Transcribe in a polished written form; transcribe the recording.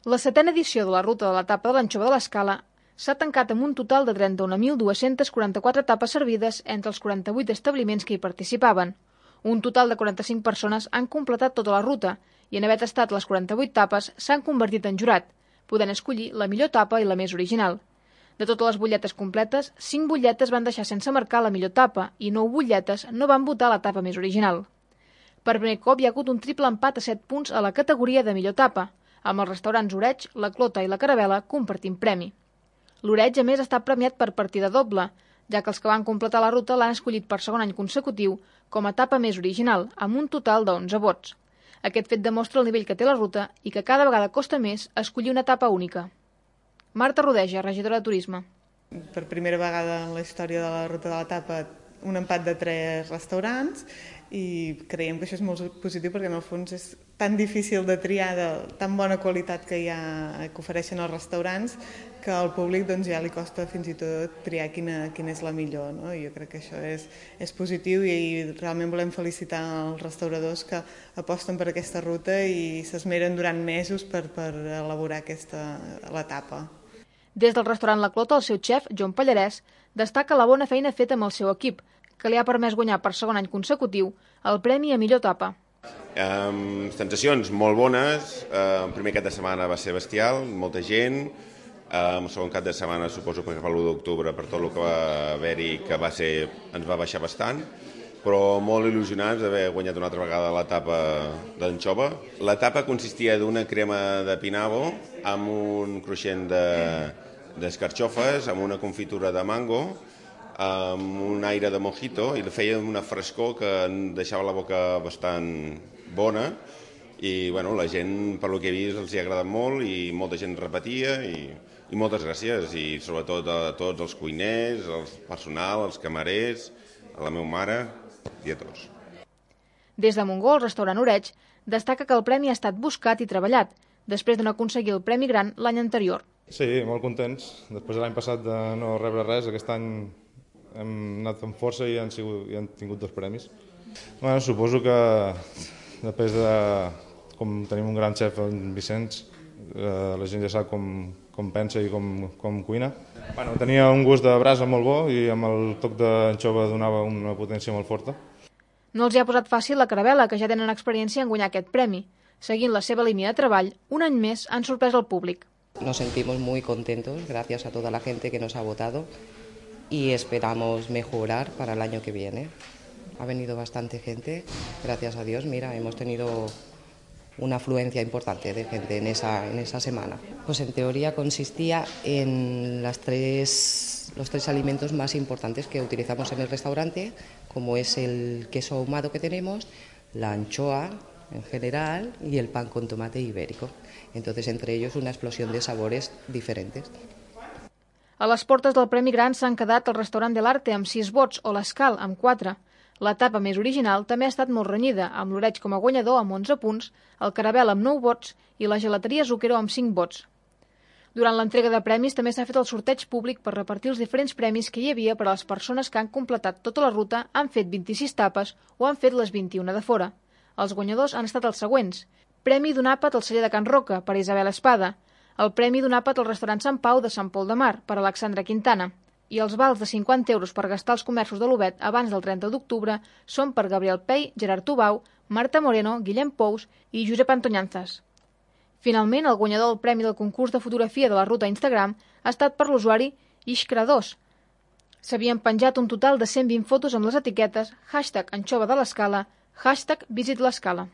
La 7a edició de la ruta de l'etapa de l'Anxova de l'Escala s'ha tancat amb un total de 31.244 tapes servides entre els 48 establiments que hi participaven. Un total de 45 persones han completat tota la ruta i en haver tastat les 48 tapes s'han convertit en jurat, podent escollir la millor tapa i la més original. De totes les butlletes completes, 5 butlletes van deixar sense marcar la millor tapa i 9 butlletes no van votar la tapa més original. Per primer cop hi ha hagut un triple empat a 7 punts a la categoria de millor tapa, amb els restaurants Oreig, La Clota i La Carabela compartint premi. L'Oreig, a més, està premiat per partida doble, ja que els que van completar la ruta l'han escollit per segon any consecutiu com a tapa més original, amb un total de 11 vots. Aquest fet demostra el nivell que té la ruta i que cada vegada costa més escollir una tapa única. Marta Rodeja, regidora de Turisme. Per primera vegada en la història de la ruta de l'etapa, un empat de 3 restaurants i creiem que això és molt positiu perquè en el fons és tan difícil de triar de tan bona qualitat que ofereixen els restaurants que al públic doncs, ja li costa fins i tot triar quina és la millor. No? Jo crec que això és positiu i realment volem felicitar els restauradors que aposten per aquesta ruta i s'esmeren durant mesos per elaborar l'etapa. Des del restaurant La Clota, el seu xef, Joan Pallarès, destaca la bona feina feta amb el seu equip, que li ha permès guanyar per segon any consecutiu el premi a millor tapa. Sensacions molt bones. El primer cap de setmana va ser bestial, molta gent. El segon cap de setmana suposo que per l'1 d'octubre, per tot el que va haver-hi, que ens va baixar bastant, però molt il·lusionats d'haver guanyat una altra vegada l'etapa d'anxova. L'etapa consistia d'una crema de pinavo amb un cruixent d'escarxofes, amb una confitura de mango, amb un aire de mojito i feia una frescor que deixava la boca bastant bona i la gent, per lo que he vist, els hi ha agradat molt i molta gent repetia i moltes gràcies i sobretot a tots els cuiners, el personal, els camarers, a la meva mare i a tots. Des de Montgó, el restaurant Oreig destaca que el premi ha estat buscat i treballat, després de no aconseguir el Premi Gran l'any anterior. Sí, molt contents. Després de l'any passat de no rebre res, aquest any hem anat amb força i han tingut 2 premis. Suposo que després de com tenim un gran xef, en Vicenç, la gent ja sap com pensa i com cuina. Tenia un gust de brasa molt bo i amb el toc d'anxova donava una potència molt forta. No els hi ha posat fàcil la Carabela, que ja tenen experiència en guanyar aquest premi. Seguint la seva línia de treball, un any més han sorprès el públic. Nos sentimos muy contentos gracias a toda la gente que nos ha votado y esperamos mejorar para el año que viene. Ha venido bastante gente, gracias a Dios. Mira, hemos tenido una afluencia importante de gente en esa semana. Pues en teoría consistía en los tres alimentos más importantes que utilizamos en el restaurante, como es el queso ahumado que tenemos, la anchoa en general y el pan con tomate ibérico. Entonces, entre ellos, una explosión de sabores diferentes. A les portes del Premi Gran s'han quedat el restaurant de l'Arte amb 6 vots o l'Escal amb 4. L'etapa més original també ha estat molt renyida, amb l'Oreig com a guanyador amb 11 punts, el Carabel amb 9 vots i la gelateria Zucchero amb 5 vots. Durant l'entrega de premis també s'ha fet el sorteig públic per repartir els diferents premis que hi havia per a les persones que han completat tota la ruta, han fet 26 tapes o han fet les 21 de fora. Els guanyadors han estat els següents. Premi d'un àpat al celler de Can Roca, per Isabel Espada. El premi d'un àpat al restaurant Sant Pau de Sant Pol de Mar, per Alexandra Quintana. I els vals de 50 euros per gastar als comerços de l'Ovet abans del 30 d'octubre són per Gabriel Pei, Gerard Tubau, Marta Moreno, Guillem Pous i Josep Antoñanzas. Finalment, el guanyador del premi del concurs de fotografia de la ruta Instagram ha estat per l'usuari Ishkra2. S'havien penjat un total de 120 fotos amb les etiquetes #Anxova de l'Escala, #Visit l'Escala.